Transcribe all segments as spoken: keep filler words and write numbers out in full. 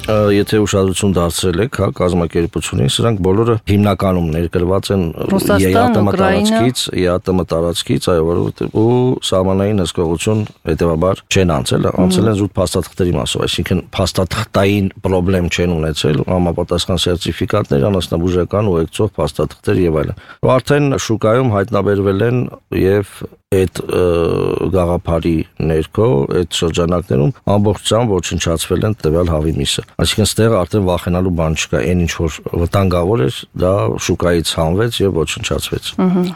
եթե ուշադրություն դարձրել եք, հա, կազմակերպությունին, սրանք բոլորը հիմնականում ներգրված են Ռուսաստան, Ուկրաինա, ԵԱՏՄ տարածքից, այո, որովհետև ու սահմանային հսկողություն հետևաբար չեն անցել, անցել են զուտ փաստաթղթերի մասով, այսինքն փաստաթղթային խնդրեմ չեն ունեցել, համապատասխան սերտիֆիկատներ, անասնաբուժական ուղեկցող փաստաթղթեր եւ այլն։ Ու արդեն շուկայում հայտնաբերվել են եւ այդ գաղափարի ներքո, այդ շրջանակներում ամբողջությամբ ոչնչացվել են տվյալ հավի միսը։ Այսինքն ստեղ արդեն վախենալու բան չկա, այն ինչ որ վտանգավոր էր, դա շուկայից հանվեց եւ ոչնչացվեց։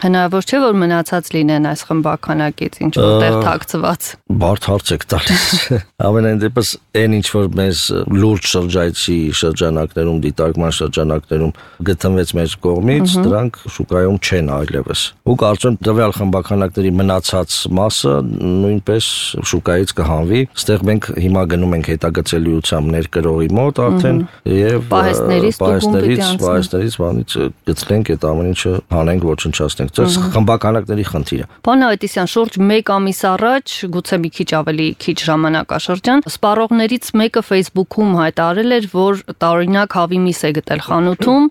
Հնարավոր չէ որ մնացած լինեն այս խմբականակից, ինչ որտեղ թաքցված։ Բարդ հարց եք տալիս։ Ամենայն դեպս այն ինչ որ մեզ լուրջ շրջայցի շրջանակներում, դիտարկման շրջանակներում գտնվեց մեր կողմից, դրանք շուկայում չեն այլևս։ Ու կարծում եմ տվյալ խմբականակների մնացած մասը նույնպես շուկայից կհանվի։ Ստեղ մենք հիմա գնում ենք հետագծելիությամբ ներկրողի մոտ արդեն եւ պահեստներից պահեստներից բանից գտնենք այդ ամեն ինչը հանենք, ոչնչացնենք։ Դա խմբականակների խնդիրը։ Պարոն Ավետիսյան, շուրջ մեկ ամիս առաջ, գուցե մի քիչ ավելի քիչ ժամանակաշրջան, սպառողներից մեկը Facebook-ում հայտարարել էր, որ տարօրինակ հավի միս է գտել խանութում,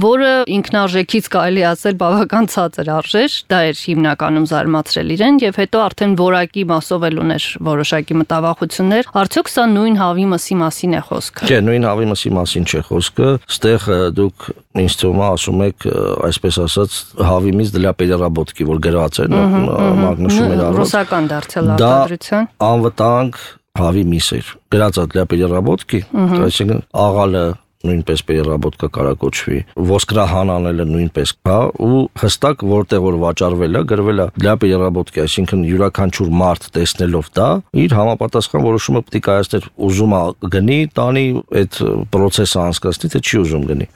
որը ինքնարժեքից կարելի ասել բավական ցածր արժեր, դա էր հիմնականում զարմացրել իրեն եւ հետո արդեն որակի մասով էլ ուներ որոշակի մտավախություններ։ Արդյոք սա նույն հավի մսի մասին է խոսքը։ Չէ, նույն հավի մսի մասին չէ խոսքը։ Ստեղ դուք ինձ թվում է ասում եք, այսպես ասած, հավի միս для переработки, որ գրած է, մագնուշում էր առած։ Ռուսական դարձյալ արտադրության։ Դա անվտանգ հավի միս էր։ Գրած է для переработки, այսինքն աղալը նույնպես переработка կարակոչվի, ոսկրահան անելը նույնպես, հա, ու հստակ որտեղ որ վաճառվել է, գրվել է для переработки, այսինքն յուրաքանչյուր մարդ տեսնելով դա, իր համապատասխան որոշումը պետք է կայացներ, ուզում է գնի, տանի այդ process-ը անցկացնի, թե չի ուզում գնի։